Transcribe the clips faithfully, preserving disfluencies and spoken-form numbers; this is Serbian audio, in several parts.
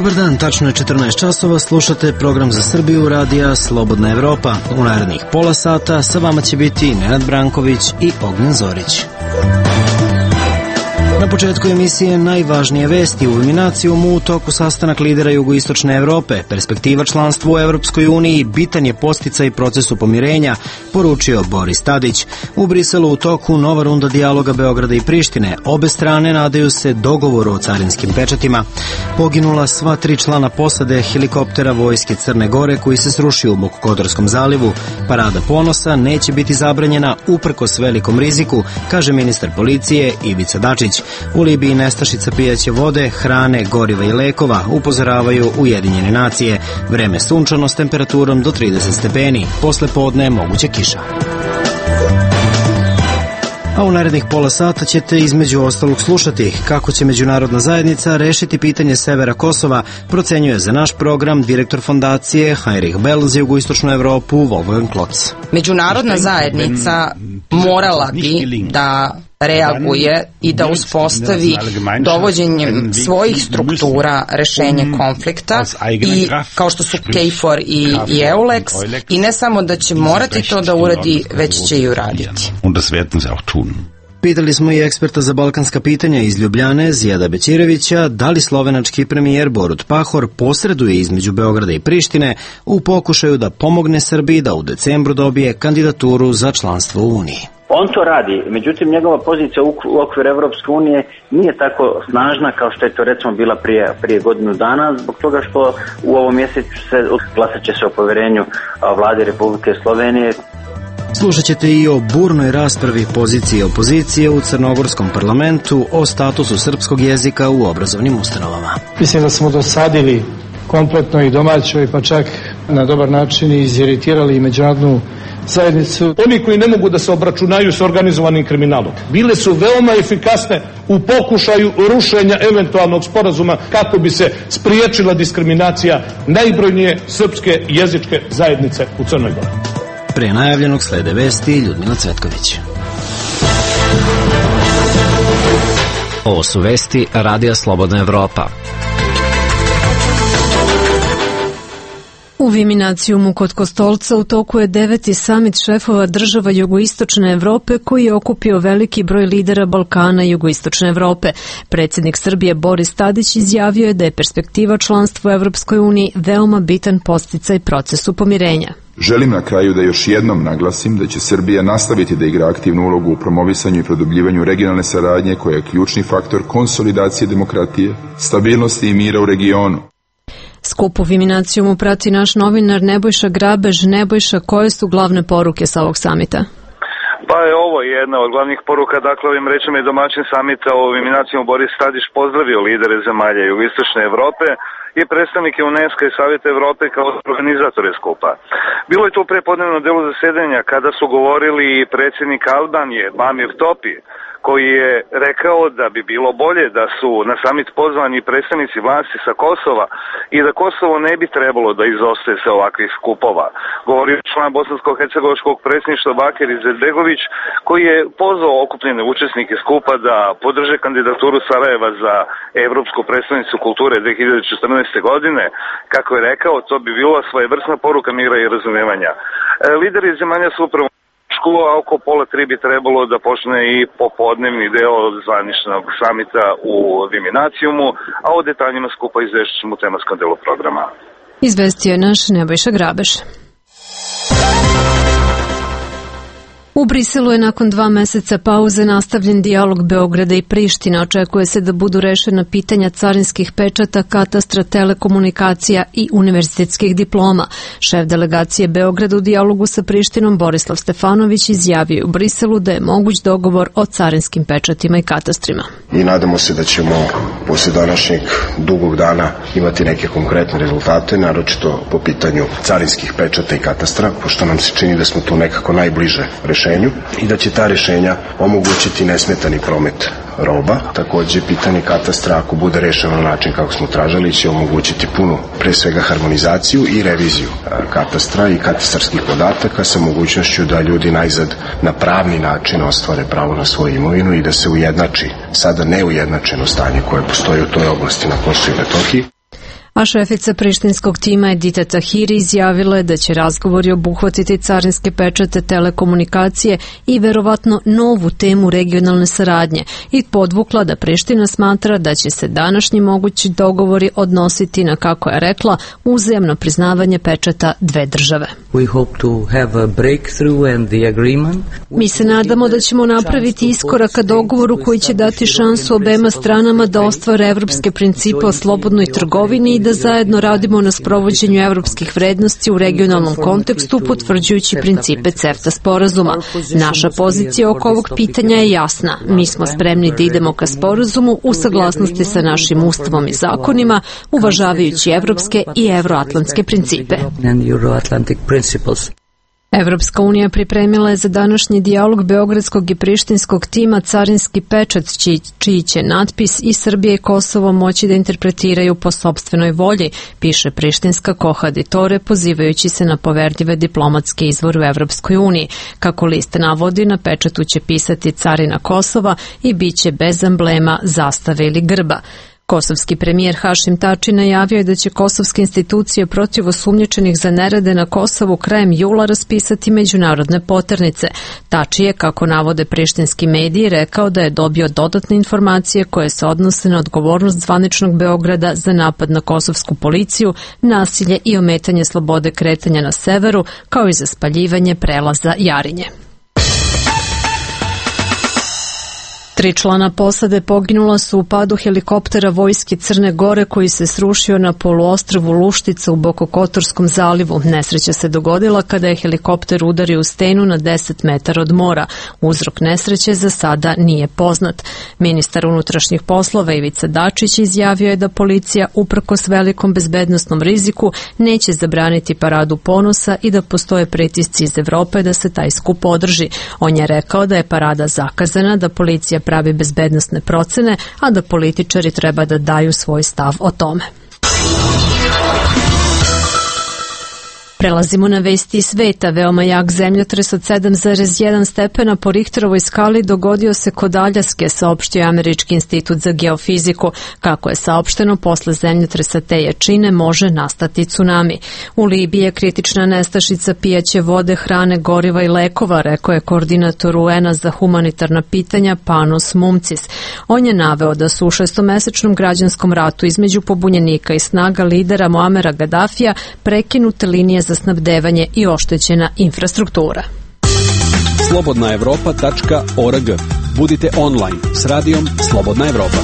Dobar dan, tačno je četrnaest časova, slušate program za Srbiju radija Slobodna Evropa. U narednih pola sata sa vama će biti Nenad Branković i Ognjen Zorić. Na početku emisije najvažnije vesti. U Eliminacijumu u toku sastanak lidera jugoistočne Evrope. Perspektiva članstva u Evropskoj uniji bitan je podsticaj procesu pomirenja, poručio Boris Tadić. U Briselu u toku nova runda dijaloga Beograda i Prištine. Obe strane nadaju se dogovoru o carinskim pečatima. Poginula sva tri člana posade helikoptera vojske Crne Gore koji se srušio u Bokokotorskom zalivu. Parada ponosa neće biti zabranjena uprkos velikom riziku, kaže ministar policije Ivica Dačić. U Libiji nestašica pijaće vode, hrane, goriva i lekova, upozoravaju Ujedinjene nacije. Vreme sunčano s temperaturom do trideset stepeni. Posle podne moguća kiša. A u narednih pola sata ćete između ostalog slušati kako će međunarodna zajednica rešiti pitanje severa Kosova, procenjuje za naš program direktor fondacije Heinrich Bell za jugoistočnu Evropu Wolfgang Klotz. Međunarodna zajednica morala bi da reaguje i da uspostavi dovođenjem svojih struktura rešenje konflikta i kao što su KFOR i, i EULEX i ne samo da će morati to da uradi, već će i uraditi. Pitali smo i eksperta za balkanska pitanja iz Ljubljane, Zijada Bećirevića, da li slovenački premijer Borut Pahor posreduje između Beograda i Prištine u pokušaju da pomogne Srbiji da u decembru dobije kandidaturu za članstvo u Uniji. On to radi, međutim njegova pozicija u okviru Evropske unije nije tako snažna kao što je to recimo bila prije, prije godinu dana, zbog toga što u ovom mjesecu se glasat će se o poverenju vlade Republike Slovenije. Slušat ćete i o burnoj raspravi pozicije i opozicije u crnogorskom parlamentu o statusu srpskog jezika u obrazovnim ustanovama. Mislim da smo dosadili kompletno i domaćoj, pa čak na dobar način i iziritirali i međunarodnu zajednicu. Oni koji ne mogu da se obračunaju s organizovanim kriminalom bile su veoma efikasne u pokušaju rušenja eventualnog sporazuma kako bi se spriječila diskriminacija najbrojnije srpske jezičke zajednice u Crnoj Gori. Pre najavljenog slede vesti Ljudmila Cvetković. Ovo su vesti Radija Slobodna Evropa. U Viminacijumu kod Kostolca u toku je deveti samit šefova država jugoistočne Evrope koji je okupio veliki broj lidera Balkana i jugoistočne Evrope. Predsjednik Srbije Boris Tadić izjavio je da je perspektiva članstva u Evropskoj uniji veoma bitan podsticaj procesu pomirenja. Želim na kraju da još jednom naglasim da će Srbija nastaviti da igra aktivnu ulogu u promovisanju i produbljivanju regionalne saradnje koja je ključni faktor konsolidacije demokratije, stabilnosti i mira u regionu. Skup u Viminacijumu prati naš novinar Nebojša Grabež. Nebojša, koje su glavne poruke sa ovog samita? Pa je ovo jedna od glavnih poruka, dakle ovim rečima je domaćin samita u Viminacijumu Boris Tadić pozdravio lidere zemalja jugoistočne Evrope i predstavnike UNESCO i Savjeta Evrope kao organizatore skupa. Bilo je to u prepodnevnom delu zasedanja kada su govorili i predsjednik Albanije Bamir Topi, koji je rekao da bi bilo bolje da su na samit pozvani predstavnici vlasti sa Kosova i da Kosovo ne bi trebalo da izostaje sa ovakvih skupova. Govorio član bosansko-hercegovačkog predsjedništva Bakir Izetbegović, koji je pozvao okupljene učesnike skupa da podrže kandidaturu Sarajeva za Evropsku predstavnicu kulture dve hiljade četrnaeste. godine. Kako je rekao, to bi bila svojevrsna poruka mira i razumijevanja. E, lideri zemalja su upravo a oko pola tri bi trebalo da počne i popodnevni deo zvaničnog samita u Viminacijumu, a o detaljima skupa izvešću ćemo u tematskom delu programa. Izvestio je naš Nebojša Grabeš. U Briselu je nakon dva meseca pauze nastavljen dijalog Beograda i Prištine. Očekuje se da budu rešena pitanja carinskih pečata, katastra, telekomunikacija i univerzitetskih diploma. Šef delegacije Beograda u dijalogu sa Prištinom Borislav Stefanović izjavio u Briselu da je moguć dogovor o carinskim pečatima i katastrima. I nadamo se da ćemo posle današnjeg dugog dana imati neke konkretne rezultate, naročito po pitanju carinskih pečata i katastra, pošto nam se čini da smo tu nekako najbliže rešenju i da će ta rešenja omogućiti nesmetani promet roba. Takođe, pitanje katastra, ako bude rešeno na način kako smo tražili, će omogućiti punu, pre svega, harmonizaciju i reviziju katastra i katastarskih podataka sa mogućnošću da ljudi najzad na pravni način ostvare pravo na svoju imovinu i da se ujednači sada neujednačeno stanje koje postoji u toj oblasti na Kosovu i Metohiji. A šefica prištinskog tima Edita Tahiri izjavila je da će razgovori obuhvatiti carinske pečate, telekomunikacije i verovatno novu temu regionalne saradnje i podvukla da Priština smatra da će se današnji mogući dogovori odnositi na, kako je rekla, uzajamno priznavanje pečata dve države. Mi se nadamo da ćemo napraviti iskorak ka dogovoru koji će dati šansu obema stranama da ostvare evropske principe o slobodnoj trgovini i da zajedno radimo na sprovođenju evropskih vrednosti u regionalnom kontekstu, potvrđujući principe CEFTA sporazuma. Naša pozicija oko ovog pitanja je jasna. Mi smo spremni da idemo ka sporazumu u saglasnosti sa našim ustavom i zakonima, uvažavajući evropske i evroatlantske principe. Evropska unija pripremila je za današnji dijalog beogradskog i prištinskog tima carinski pečat čiji, čiji će natpis i Srbija i Kosovo moći da interpretiraju po sopstvenoj volji, piše prištinska Kohaditore, pozivajući se na poverljive diplomatske izvore u Evropskoj uniji. Kako list navodi, na pečatu će pisati carina Kosova i bit će bez emblema, zastave ili grba. Kosovski premijer Hašim Tači najavio je da će kosovske institucije protiv osumnjičenih za nerede na Kosovu krajem jula raspisati međunarodne poternice. Tači je, kako navode prištinski mediji, rekao da je dobio dodatne informacije koje se odnose na odgovornost zvaničnog Beograda za napad na kosovsku policiju, nasilje i ometanje slobode kretanja na severu, kao i za spaljivanje prelaza Jarinje. Tri člana posade poginula su u padu helikoptera vojske Crne Gore koji se srušio na poluostrvu Luštica u Bokokotorskom zalivu. Nesreća se dogodila kada je helikopter udario u stenu na deset metara od mora. Uzrok nesreće za sada nije poznat. Ministar unutrašnjih poslova Ivica Dačić izjavio je da policija, uprkos velikom bezbednosnom riziku, neće zabraniti paradu ponosa i da postoje pritisci iz Evrope da se taj skup održi. On je rekao da je parada zakazana, da policija pravi bezbednosne procene, a da političari treba da daju svoj stav o tome. Prelazimo na vesti iz sveta. Veoma jak zemljotres od sedam zarez jedan stepena po Richterovoj skali dogodio se kod Aljaske, saopštio je Američki institut za geofiziku. Kako je saopšteno, posle zemljotresa te jačine može nastati tsunami. U Libiji je kritična nestašica pijaće vode, hrane, goriva i lekova, rekao je koordinator U N-a za humanitarna pitanja Panos Mumcis. On je naveo da su u šestomesečnom građanskom ratu između pobunjenika i snaga lidera Muamera Gaddafija prekinute linije za snabdevanje i oštećena infrastruktura. slobodna evropa tačka org. Budite online s radijom Slobodna Evropa.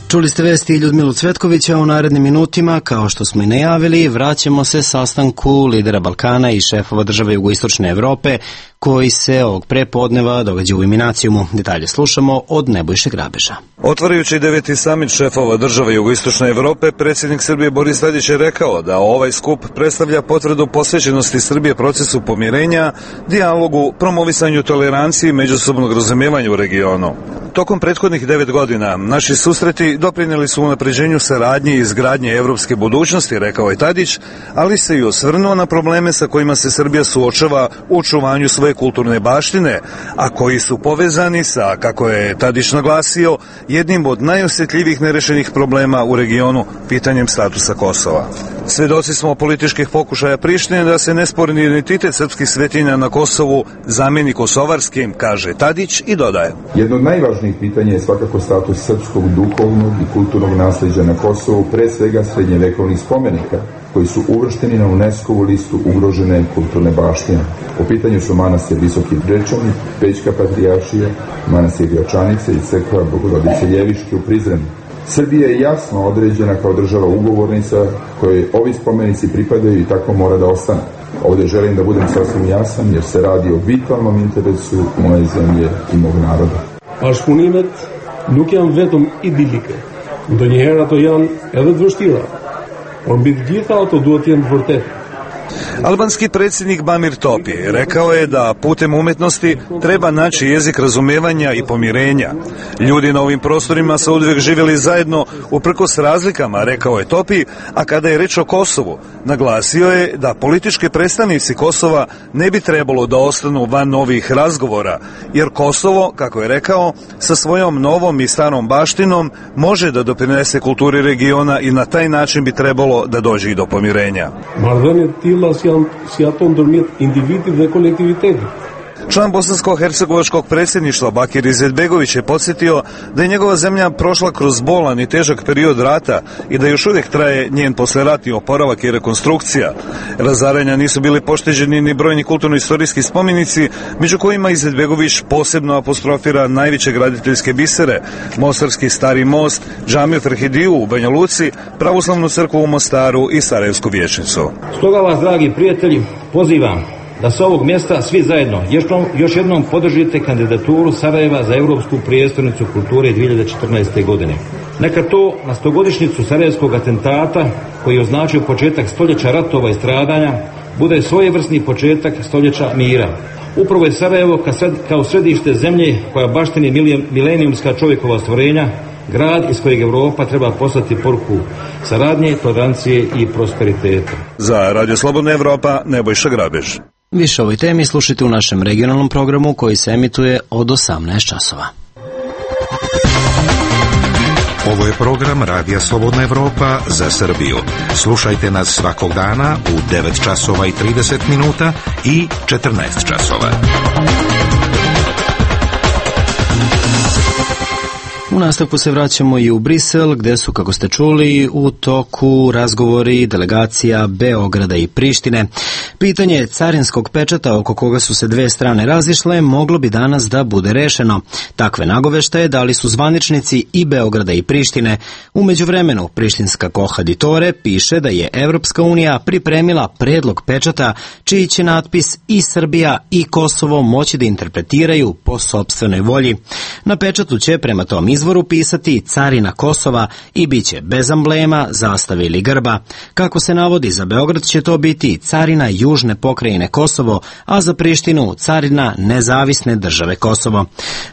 Čuli ste vesti Ljudmilu Cvetkovića. U narednim minutima, kao što smo i najavili, vraćamo se sastanku lidera Balkana i šefova države jugoistočne Evrope koji se ovog prepodneva događa u Iminacijumu. Detalje slušamo od Nebojše Grabeža. Otvarajući deveti samit šefova države jugoistočne Evrope, predsjednik Srbije Boris Tadić je rekao da ovaj skup predstavlja potvrdu posvećenosti Srbije procesu pomirenja, dijalogu, promovisanju tolerancije i međusobnog razumijevanja u regionu. Tokom prethodnih devet godina naši susreti doprinijeli su unapređenju saradnje i izgradnje evropske budućnosti, rekao je Tadić, ali se i osvrnuo na probleme sa kojima se Srbija suočava u očuvanju svoje kulturne baštine, a koji su povezani sa, kako je Tadić naglasio, jednim od najosjetljivijih nerešenih problema u regionu, pitanjem statusa Kosova. Svedoci smo političkih pokušaja Prištine da se nesporni identitet srpskih svetinja na Kosovu zameni kosovarskim, kaže Tadić i dodaje. Jedno od najvažnijih pitanja je svakako status srpskog duhovnog i kulturnog nasleđa na Kosovu, pre svega srednjevekovnih spomenika, koji su uvršteni na UNESCO-vu listu ugrožene kulturne baštine. Po pitanju su manastir Visoki Brečani, Pećka patrijaršija, manastir Gračanice i crkva Bogorodice Ljeviške u Prizrenu. Srbija je jasno određena kao država ugovornica kojoj ovi spomenici pripadaju i tako mora da ostane. Ovdje želim da budem sasvim jasan jer se radi o vitalnom interesu moje zemlje i mog naroda. Bashkëpunimet nuk janë vetëm idilike. Ndonjëherë ato janë edhe të vështira. Por mbi të gjitha ato duhet të jenë të vërtetë. Albanski predsjednik Bamir Topi rekao je da putem umetnosti treba naći jezik razumevanja i pomirenja. Ljudi na ovim prostorima su uvijek živjeli zajedno uprkos razlikama, rekao je Topi, a kada je reč o Kosovu, naglasio je da politički predstavnici Kosova ne bi trebalo da ostanu van novih razgovora, jer Kosovo, kako je rekao, sa svojom novom i starom baštinom može da doprinese kulturi regiona i na taj način bi trebalo da dođe i do pomirenja. Član bosansko-hercegovačkog predsjedništva Bakir Izetbegović je podsjetio da je njegova zemlja prošla kroz bolan i težak period rata i da još uvijek traje njen posleratni oporavak i rekonstrukcija. Razaranja nisu bili pošteđeni ni brojni kulturno-istorijski spomenici, među kojima Izetbegović posebno apostrofira najveće graditeljske bisere, Mostarski stari most, džamiju Ferhidiju u Banja Luci, pravoslavnu crkvu u Mostaru i Sarajevsku vijećnicu. Stoga vas, dragi prijatelji, pozivam da sa ovog mjesta svi zajedno još jednom podržite kandidaturu Sarajeva za Europsku prijestolnicu kulture dvije hiljade četrnaeste. godine. Neka to na stogodišnjicu Sarajevskog atentata, koji je označio početak stoljeća ratova i stradanja, bude svojevrsni početak stoljeća mira. Upravo je Sarajevo kao središte zemlje koja baštini milenijumska čovjekova stvorenja, grad iz kojeg Europa treba poslati poruku saradnje, tolerancije i prosperiteta. Za Radio Slobodna Evropa, Nebojša Grabež. Više o ovoj temi slušajte u našem regionalnom programu koji se emituje od osamnaest časova. Ovo je program Radija Slobodna Evropa za Srbiju. Slušajte nas svakog dana u devet časova i trideset minuta i četrnaest časova. U nastavku se vraćamo i u Brisel, gde su, kako ste čuli, u toku razgovori delegacija Beograda i Prištine. Pitanje carinskog pečata oko koga su se dve strane razišle moglo bi danas da bude rešeno. Takve nagoveštaje dali su zvaničnici i Beograda i Prištine. U međuvremenu, prištinska Kohaditore piše da je Evropska unija pripremila predlog pečata čiji će natpis i Srbija i Kosovo moći da interpretiraju po sopstvenoj volji. Na pečatu će prema tom izvoru pisati carina Kosova i bit će bez amblema, zastave ili grba. Kako se navodi, za Beograd će to biti carina južne pokrajine Kosovo, a za Prištinu carina nezavisne države Kosovo.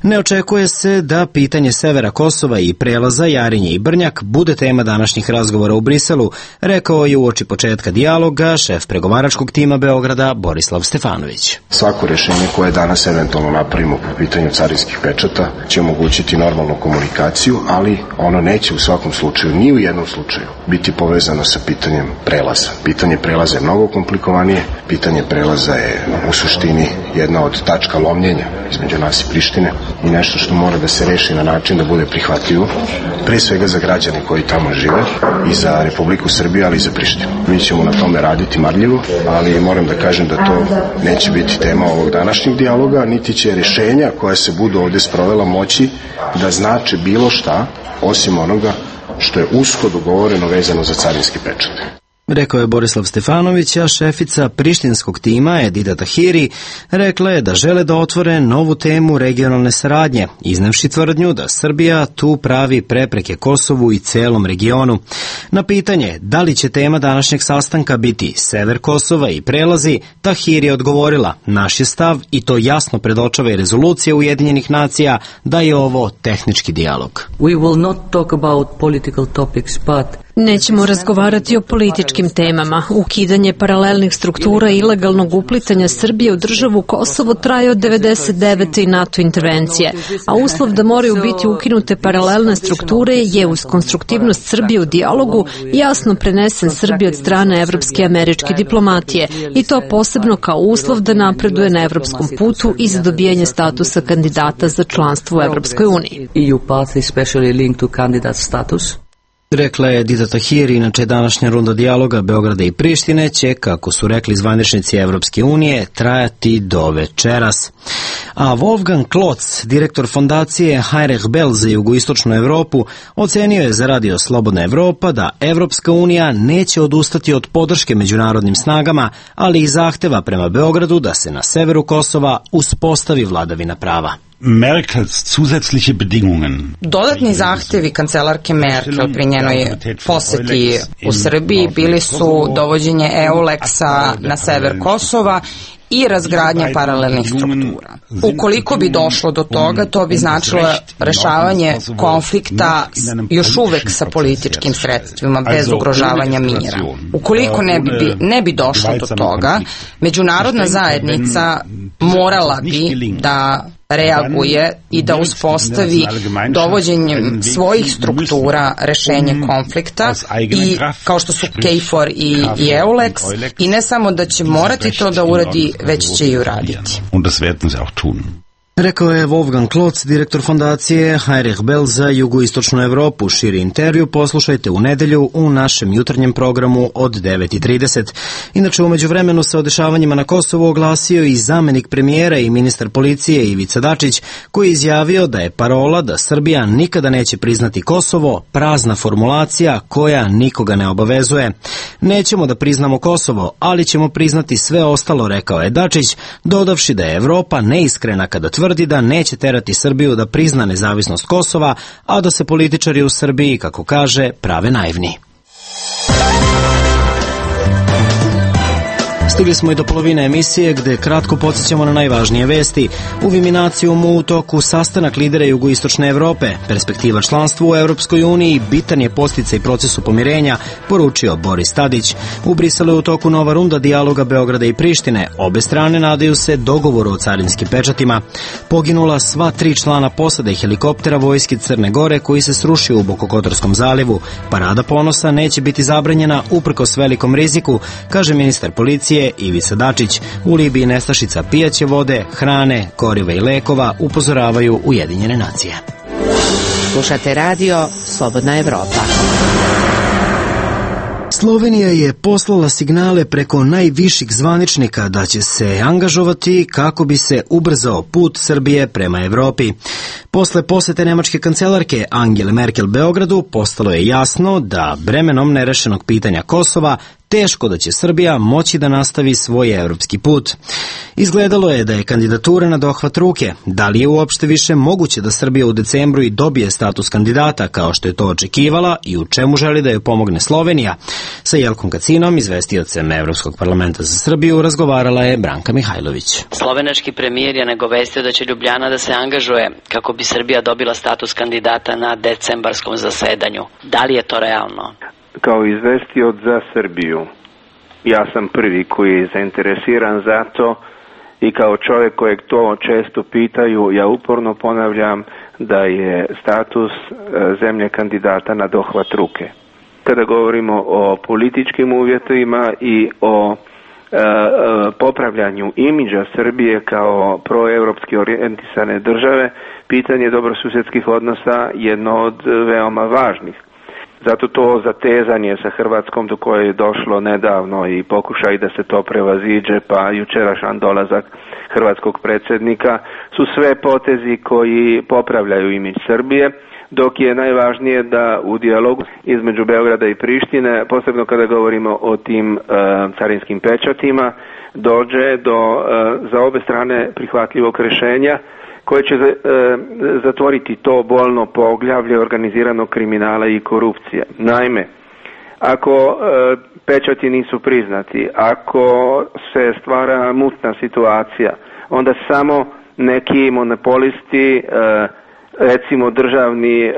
Ne očekuje se da pitanje severa Kosova i prelaza Jarinje i Brnjak bude tema današnjih razgovora u Briselu, rekao je uoči početka dijaloga šef pregovaračkog tima Beograda Borislav Stefanović. Svako rješenje koje danas eventualno napravimo po pitanju carinskih pečata će omogućiti normalnu komunikaciju, ali ono neće u svakom slučaju, ni u jednom slučaju, biti povezano sa pitanjem prelaza. Pitanje prelaza je mnogo komplikovanije, pitanje prelaza je u suštini jedna od tačka lomljenja između nas i Prištine i nešto što mora da se reši na način da bude prihvatljivo, pre svega za građane koji tamo žive i za Republiku Srbiju, ali i za Prištinu. Mi ćemo na tome raditi marljivo, ali moram da kažem da to neće biti tema ovog današnjeg dijaloga, niti će rješenja koja se budu ovdje sprovela moći da znače bilo šta, osim onoga što je usko dogovoreno vezano za carinski pečat. Rekao je Borislav Stefanović, a šefica prištinskog tima Edita Tahiri rekla je da žele da otvore novu temu regionalne saradnje, iznevši tvrdnju da Srbija tu pravi prepreke Kosovu i celom regionu. Na pitanje da li će tema današnjeg sastanka biti sever Kosova i prelazi, Tahiri je odgovorila: naš je stav i to jasno predočava i rezolucija Ujedinjenih nacija da je ovo tehnički dijalog. We will not talk about political topics, but Nećemo razgovarati o političkim temama. Ukidanje paralelnih struktura i ilegalnog uplitanja Srbije u državu Kosovo traje od devedeset devete i NATO intervencije, a uslov da moraju biti ukinute paralelne strukture je uz konstruktivnost Srbije u dijalogu jasno prenesen Srbiji od strane evropske i američke diplomatije i to posebno kao uslov da napreduje na evropskom putu i za dobijanje statusa kandidata za članstvo u Evropskoj uniji. E U path is especially linked to candidate status. Rekla je Edita Tahiri, inače današnja runda dijaloga Beograda i Prištine će, kako su rekli zvaničnici Evropske unije, trajati do večeras. A Wolfgang Klotz, direktor fondacije Heinrich Böll za jugoistočnu Evropu, ocenio je za Radio Slobodna Evropa da Evropska unija neće odustati od podrške međunarodnim snagama, ali i zahteva prema Beogradu da se na severu Kosova uspostavi vladavina prava. Merkels zusätzliche Bedingungen. Dodatni zahtevi kancelarke Merkel pri njenoj poseti u Srbiji bili su dovođenje EULEX-a na sever Kosova i razgradnja paralelnih struktura. Ukoliko bi došlo do toga, to bi značilo rešavanje konflikta još uvek sa političkim sredstvima, bez ugrožavanja mira. Ukoliko ne bi, ne bi došlo do toga, međunarodna zajednica morala bi da reaguje i da uspostavi dovođenjem svojih struktura rešenje konflikta i kao što su KFOR i, i EULEX, i ne samo da će morati to da uradi, već će i uraditi. Rekao je Wolfgang Klotz, direktor fondacije Heinrich Böll za jugoistočnu Evropu. Širi intervju poslušajte u nedelju u našem jutarnjem programu od devet i trideset. Inače, umeđu vremenu se o dešavanjima na Kosovu oglasio i zamenik premijera i ministar policije Ivica Dačić, koji je izjavio da je parola da Srbija nikada neće priznati Kosovo prazna formulacija koja nikoga ne obavezuje. Nećemo da priznamo Kosovo, ali ćemo priznati sve ostalo, rekao je Dačić, dodavši da je Evropa neiskrena kada tvrdi da neće terati Srbiju da prizna nezavisnost Kosova, a da se političari u Srbiji, kako kaže, prave naivni. Stigli smo i do polovine emisije gde kratko podsjećamo na najvažnije vesti. U Viminacijumu u toku sastanak lidera jugoistočne Evrope. Perspektiva članstva u Evropskoj uniji bitan je podsticaj procesu pomirenja, poručio Boris Tadić. U Briselu je u toku nova runda dijaloga Beograda i Prištine. Obe strane nadaju se dogovoru o carinskim pečatima. Poginula sva tri člana posade helikoptera vojske Crne Gore koji se srušio u Bokokotorskom zalivu. Parada ponosa neće biti zabranjena uprkos velikom riziku, kaže ministar policije Ivica Dačić. U Libiji nestašica pijaće vode, hrane, goriva i lekova, upozoravaju Ujedinjene nacije. Slušate radio Slobodna Evropa. Slovenija je poslala signale preko najviših zvaničnika da će se angažovati kako bi se ubrzao put Srbije prema Evropi. Posle posete nemačke kancelarke Angele Merkel Beogradu postalo je jasno da bremenom nerešenog pitanja Kosova teško da će Srbija moći da nastavi svoj evropski put. Izgledalo je da je kandidatura na dohvat ruke. Da li je uopšte više moguće da Srbija u decembru i dobije status kandidata kao što je to očekivala i u čemu želi da joj pomogne Slovenija? Sa Jelkom Kacinom, izvestiocem Evropskog parlamenta za Srbiju, razgovarala je Branka Mihajlović. Slovenački premijer je nagovestio da će Ljubljana da se angažuje kako bi Srbija dobila status kandidata na decembarskom zasedanju. Da li je to realno? Kao izvestioc za Srbiju, ja sam prvi koji je zainteresiran za to i kao čovjek kojeg to često pitaju, ja uporno ponavljam da je status zemlje kandidata na dohvat ruke. Kada govorimo o političkim uvjetima i o e, e, popravljanju imidža Srbije kao proevropski orijentisane države, pitanje dobrosusjedskih odnosa je jedno od veoma važnih. Zato to zatezanje sa Hrvatskom do koje je došlo nedavno i pokušaj da se to prevaziđe, pa jučerašnji dolazak hrvatskog predsjednika, su sve potezi koji popravljaju imidž Srbije, dok je najvažnije da u dijalogu između Beograda i Prištine, posebno kada govorimo o tim e, carinskim pečatima, dođe do e, za obe strane prihvatljivog rješenja koje će e, zatvoriti to bolno poglavlje organiziranog kriminala i korupcije. Naime, ako e, pečati nisu priznati, ako se stvara mutna situacija, onda samo neki monopolisti, e, recimo državni e,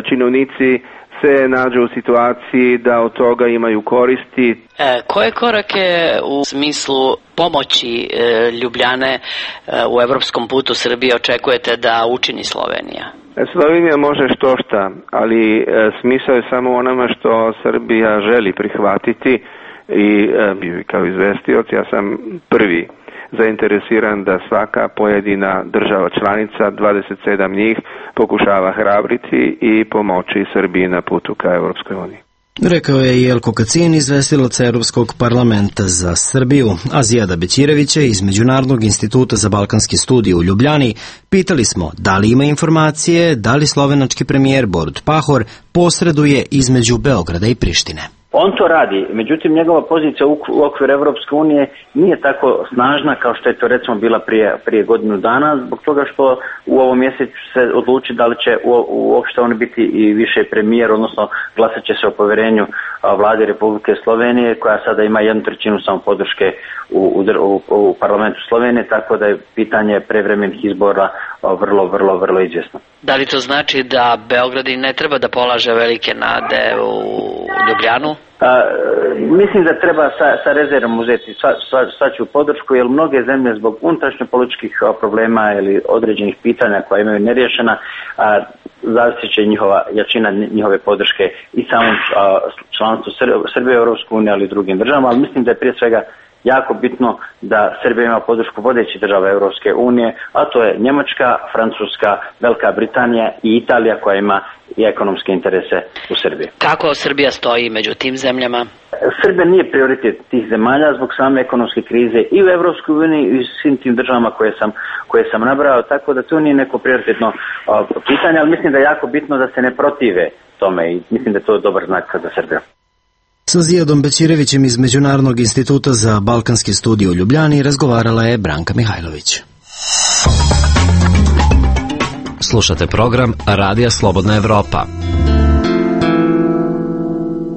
činovnici, se nađu u situaciji da od toga imaju koristi. E, koje korake u smislu pomoći e, Ljubljane e, u evropskom putu Srbije očekujete da učini Slovenija? Slovenija može što šta, ali e, smisao je samo onama što Srbija želi prihvatiti i e, kao izvestioc ja sam prvi zainteresiran da svaka pojedina država članica, dvadeset sedam njih, pokušava hrabriti i pomoći Srbiji na putu ka Evropskoj uniji. Rekao je Jelko Kacin, izvestilac Europskog parlamenta za Srbiju. A Zijada Bećirevića iz Međunarodnog instituta za balkanske studije u Ljubljani pitali smo da li ima informacije da li slovenački premijer Borut Pahor posreduje između Beograda i Prištine. On to radi, međutim njegova pozicija u okviru Evropske unije nije tako snažna kao što je to recimo bila prije, prije godinu dana, zbog toga što u ovom mjesecu se odluči da li će uopšte on biti i više premijer, odnosno glasat će se o povjerenju vlade Republike Slovenije, koja sada ima jednu trećinu samo podrške u, u, u parlamentu Slovenije, tako da je pitanje prevremenih izbora vrlo, vrlo, vrlo izvjesno. Da li to znači da Beograd i ne treba da polaže velike nade u Ljubljanu? A, mislim da treba sa, sa rezervom uzeti sva, sva, svaču podršku, jer mnoge zemlje zbog unutrašnjo političkih problema ili određenih pitanja koja imaju neriješena, a, zavisit će njihova jačina njihove podrške i samom članstvu Srbije u Europskoj uniji, ali i drugim državama, ali mislim da je prije svega jako bitno da Srbija ima podršku vodećih država Europske unije, a to je Njemačka, Francuska, Velika Britanija i Italija, koja ima i ekonomske interese u Srbiji. Kako Srbija stoji među tim zemljama? Srbija nije prioritet tih zemalja zbog same ekonomske krize i u Europskoj uniji i u svim tim državama koje sam, koje sam nabrao, tako da to nije neko prioritetno pitanje, ali mislim da je jako bitno da se ne protive tome i mislim da je to dobar znak za Srbiju. Sa Zijadom Bećirevićem iz Međunarodnog instituta za balkanske studije u Ljubljani razgovarala je Branka Mihajlović. Slušate program Radija Slobodna Evropa.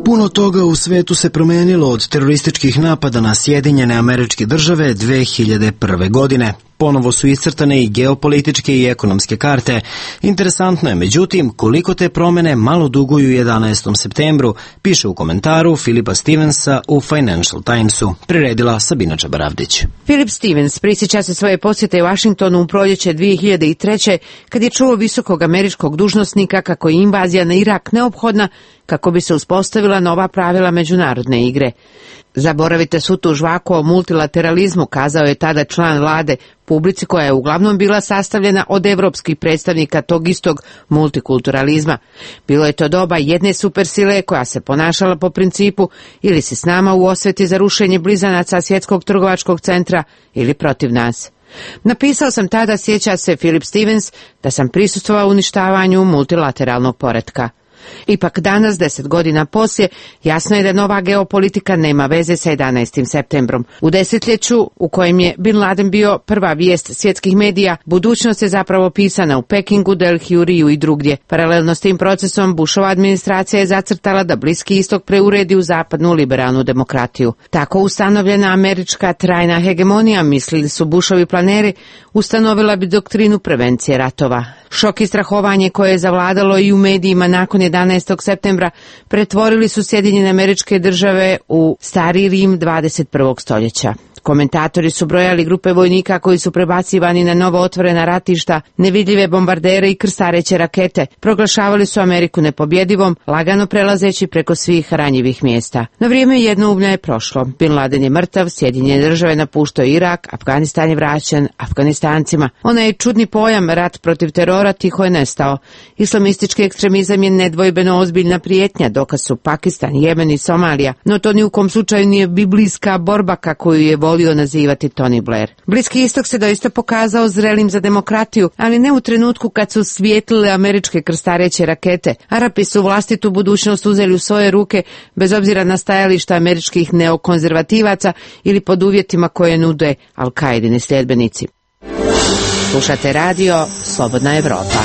Puno toga u svetu se promenilo od terorističkih napada na Sjedinjene Američke Države dve hiljade prve. godine. Ponovo su iscrtane i geopolitičke i ekonomske karte. Interesantno je, međutim, koliko te promene malo duguju jedanaestom septembru, piše u komentaru Filipa Stevensa u Financial Timesu. Priredila Sabina Čabaravdić. Filip Stevens prisjeća se svoje posjete u Vašingtonu u proljeće dve hiljade treće. kad je čuo visokog američkog dužnosnika kako je invazija na Irak neophodna kako bi se uspostavila nova pravila međunarodne igre. Zaboravite svu tu žvaku o multilateralizmu, kazao je tada član vlade publici koja je uglavnom bila sastavljena od evropskih predstavnika tog istog multikulturalizma. Bilo je to doba jedne supersile koja se ponašala po principu ili si s nama u osveti za rušenje blizanaca svjetskog trgovačkog centra ili protiv nas. Napisao sam tada, sjeća se Filip Stevens, da sam prisustvovao uništavanju multilateralnog poretka. Ipak danas, deset godina poslije, jasno je da nova geopolitika nema veze sa jedanaestim septembrom. U desetljeću u kojem je Bin Laden bio prva vijest svjetskih medija, budućnost je zapravo pisana u Pekingu, Delhiju, Riju i drugdje. Paralelno s tim procesom, Bushova administracija je zacrtala da Bliski istok preuredi u zapadnu liberalnu demokratiju. Tako ustanovljena američka trajna hegemonija, mislili su Bushovi planeri, ustanovila bi doktrinu prevencije ratova. Šok i strahovanje koje je zavladalo i u medijima nakon jedanaestog septembra pretvorili su Sjedinjene Američke Države u stari Rim dvadeset prvog stoljeća. Komentatori su brojali grupe vojnika koji su prebacivani na novo otvorena ratišta, nevidljive bombardere i krstareće rakete. Proglašavali su Ameriku nepobjedivom, lagano prelazeći preko svih ranjivih mjesta. No vrijeme jednoumlja je prošlo. Bin Laden je mrtav, Sjedinjene Države napuštao Irak, Afganistan je vraćen Afganistancima. Onaj čudni pojam rat protiv terora tiho je nestao. Islamistički ekstremizam je nedvojbeno ozbiljna prijetnja, dokaz su Pakistan, Jemen i Somalija, no to ni u kom slučaju nije biblijska borba kako ju je volio nazivati Tony Blair. Bliski istok se doista pokazao zrelim za demokratiju, ali ne u trenutku kad su svijetlile američke krstareće rakete. Arapi su vlastitu budućnost uzeli u svoje ruke bez obzira na stajališta američkih neokonzervativaca ili pod uvjetima koje nude Al-Kaidini sljedbenici. Slušate radio Slobodna Evropa.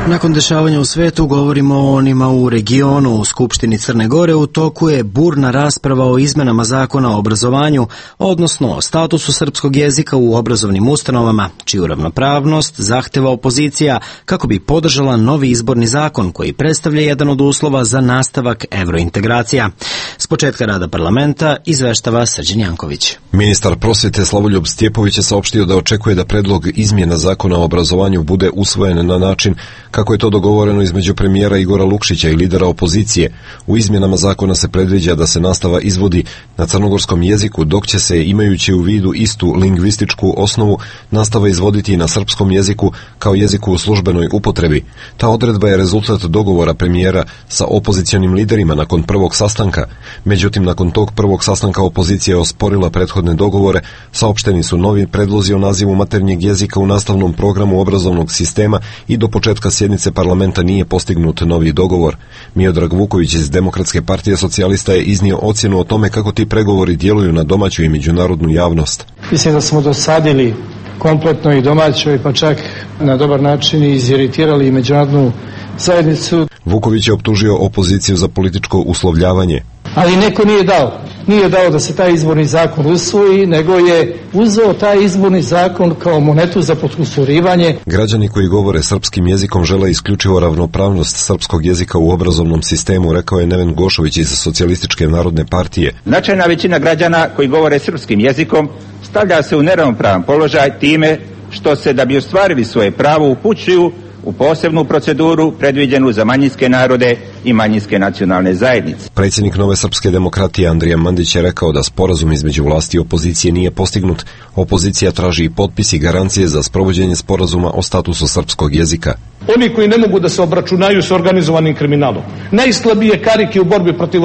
Nakon dešavanja u svetu govorimo o onima u regionu. U Skupštini Crne Gore u toku je burna rasprava o izmenama zakona o obrazovanju, odnosno o statusu srpskog jezika u obrazovnim ustanovama, čiju ravnopravnost zahteva opozicija kako bi podržala novi izborni zakon koji predstavlja jedan od uslova za nastavak evrointegracija. S početka rada parlamenta izveštava Srđan Janković. Ministar prosvete Slavoljub Stjepović je saopštio da očekuje da predlog izmjena zakona o obrazovanju bude usvojen na način Kako je to dogovoreno između premijera Igora Lukšića i lidera opozicije, u izmjenama zakona se predviđa da se nastava izvodi na crnogorskom jeziku, dok će se, imajući u vidu istu lingvističku osnovu, nastava izvoditi i na srpskom jeziku kao jeziku u službenoj upotrebi. Ta odredba je rezultat dogovora premijera sa opozicionim liderima nakon prvog sastanka. Međutim, nakon tog prvog sastanka opozicija je osporila prethodne dogovore, saopšteni su novi predlozi o nazivu maternjeg jezika u nastavnom programu obrazovnog sistema i do početka sjednice parlamenta nije postignut novi dogovor. Miodrag Vuković iz Demokratske partije socijalista je iznio ocjenu o tome kako ti pregovori djeluju na domaću i međunarodnu javnost. Mislim da smo dosadili kompletno i domaćoj, pa čak na dobar način iziritirali i međunarodnu zajednicu. Vuković je optužio opoziciju za političko uslovljavanje. Ali neko nije dao. Nije dao da se taj izborni zakon usvoji, nego je uzeo taj izborni zakon kao monetu za potkusurivanje. Građani koji govore srpskim jezikom žele isključivo ravnopravnost srpskog jezika u obrazovnom sistemu, rekao je Neven Gošović iz Socijalističke narodne partije. Značajna većina građana koji govore srpskim jezikom stavlja se u neravnopravan položaj time što se, da bi ostvarili svoje pravo, upućuju u posebnu proceduru predviđenu za manjinske narode i manjinske nacionalne zajednice. Predsjednik Nove srpske demokratije Andrija Mandić je rekao da sporazum između vlasti i opozicije nije postignut. Opozicija traži i potpis i garancije za sprovođenje sporazuma o statusu srpskog jezika. Oni koji ne mogu da se obračunaju s organizovanim kriminalom. Najslabije karike u borbi protiv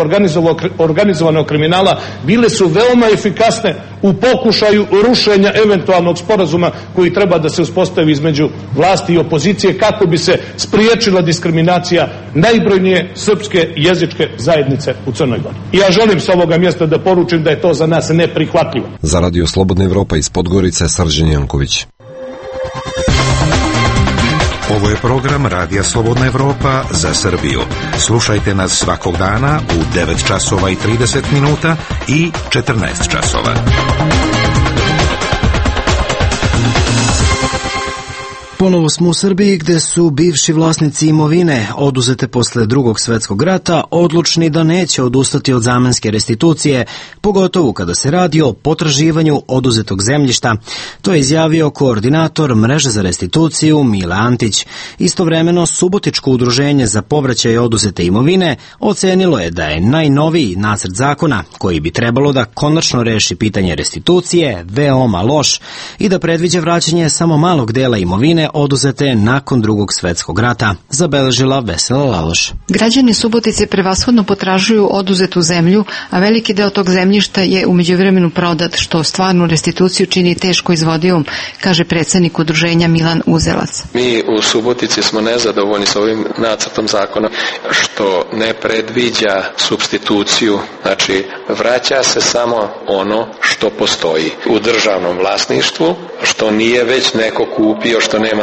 organizovanog kriminala bile su veoma efikasne u pokušaju rušenja eventualnog sporazuma koji treba da se uspostavi između vlasti i opozicije kako bi se spriječila diskriminacija najbrojnije srpske jezičke zajednice u Crnoj Gori. I ja želim s ovoga mjesta da poručim da je to za nas neprihvatljivo. Za Radio Slobodna Evropa iz Podgorice, Srđan Janković. Ovo je program Radija Slobodna Evropa za Srbiju. Slušajte nas svakog dana u devet časova i trideset minuta i četrnaest časova. Ponovo smo u Srbiji gde su bivši vlasnici imovine oduzete posle drugog svetskog rata odlučni da neće odustati od zamenske restitucije, pogotovo kada se radi o potraživanju oduzetog zemljišta. To je izjavio koordinator mreže za restituciju Mile Antić. Istovremeno, Subotičko udruženje za povraćaj oduzete imovine ocenilo je da je najnoviji nacrt zakona, koji bi trebalo da konačno reši pitanje restitucije, veoma loš i da predviđa vraćanje samo malog dela imovine oduzete nakon drugog svetskog rata, zabeležila Vesela Laloš. Građani Subotice prevashodno potražuju oduzetu zemlju, a veliki deo tog zemljišta je u međuvremenu prodat, što stvarnu restituciju čini teško izvodivom, kaže predsjednik udruženja Milan Uzelac. Mi u Subotici smo nezadovoljni s ovim nacrtom zakona što ne predviđa supstituciju, znači vraća se samo ono što postoji u državnom vlasništvu, što nije već neko kupio, što nema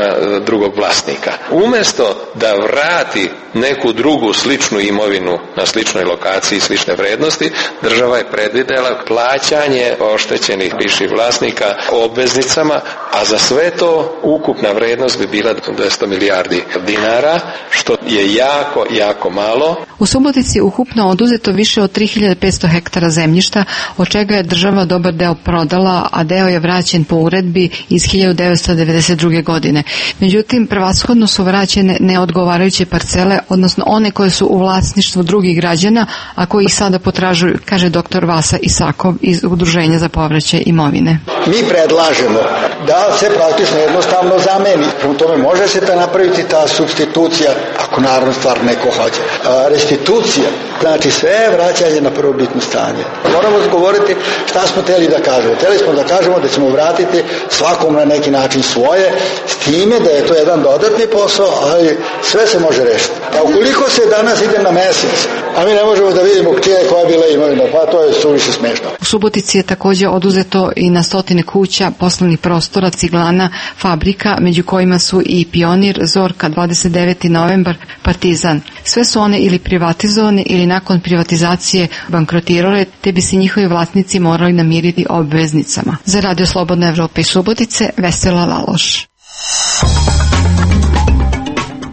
drugog vlasnika. Umjesto da vrati neku drugu sličnu imovinu na sličnoj lokaciji, slične vrednosti, država je predvidela plaćanje oštećenih bivših vlasnika obveznicama, a za sve to ukupna vrednost bi bila dvesta milijardi dinara, što je jako, jako malo. U Subotici ukupno oduzeto više od tri hiljade petsto hektara zemljišta, od čega je država dobar deo prodala, a deo je vraćen po uredbi iz hiljadu devetsto devedeset druge. godine. Međutim, prevashodno su vraćene neodgovarajuće parcele, odnosno one koje su u vlasništvu drugih građana, a koji ih sada potražuju, kaže doktor Vasa Isakov iz Udruženja za povraćaj imovine. Mi predlažemo da se praktično jednostavno zameni. Prema tome može se ta napraviti ta supstitucija, ako naravno stvar neko hoće. A, restitucija, znači sve vraćanje na prvobitno stanje. Moramo govoriti šta smo hteli da kažemo. Hteli smo da kažemo da ćemo vratiti svakom na neki način svoje, s time da je to jedan dodatni posao, ali sve se može rešiti. A ukoliko se danas ide na mesec, a mi ne možemo da vidimo čija je koja bila imovina, pa to je suviše smešno. U Subotici je također oduzeto i na stotine kuća, poslovnih prostora, ciglana, fabrika, među kojima su i Pionir, Zorka, dvadeset deveti novembar, Partizan. Sve su one ili privatizovane ili nakon privatizacije bankrotirale, te bi se njihovi vlasnici morali namiriti obveznicama. Za Radio Slobodna Evropa i Subotice, Vesela Laloš.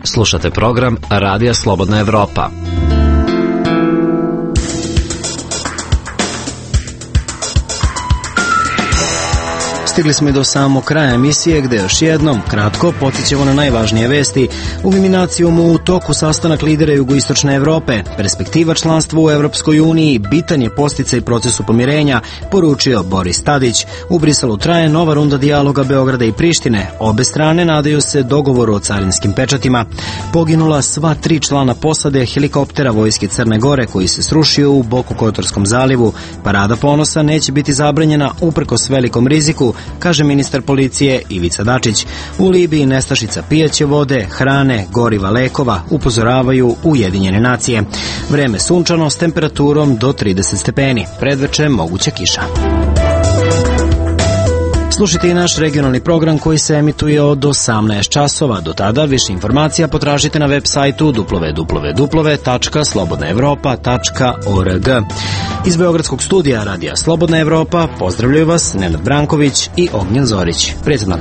Slušate program Radija Slobodna Evropa. Stigli smo i do samog kraja emisije gde još jednom kratko potićemo na najvažnije vesti. U Liminacijom u toku sastanak lidera jugoistočne Evrope. Perspektiva članstva u Evropskoj uniji bitan je podsticaj procesu pomirenja, poručio Boris Tadić. U Briselu traje nova runda dijaloga Beograda i Prištine. Obe strane nadaju se dogovoru o carinskim pečatima. Poginula sva tri člana posade helikoptera vojske Crne Gore koji se srušio u Boku Kotorskom zalivu. Parada ponosa neće biti zabranjena uprkos velikom riziku, kaže ministar policije Ivica Dačić. U Libiji nestašica pijaće vode, hrane, goriva, lekova, upozoravaju Ujedinjene nacije. Vreme sunčano s temperaturom do trideset stepeni. Predveče moguća kiša. Slušajte i naš regionalni program koji se emituje od osamnaest časova. Do tada više informacija potražite na web sajtu w w w tačka slobodna evropa tačka org. Iz Beogradskog studija Radija Slobodna Evropa pozdravljaju vas Nenad Branković i Ognjen Zorić. Prijatno.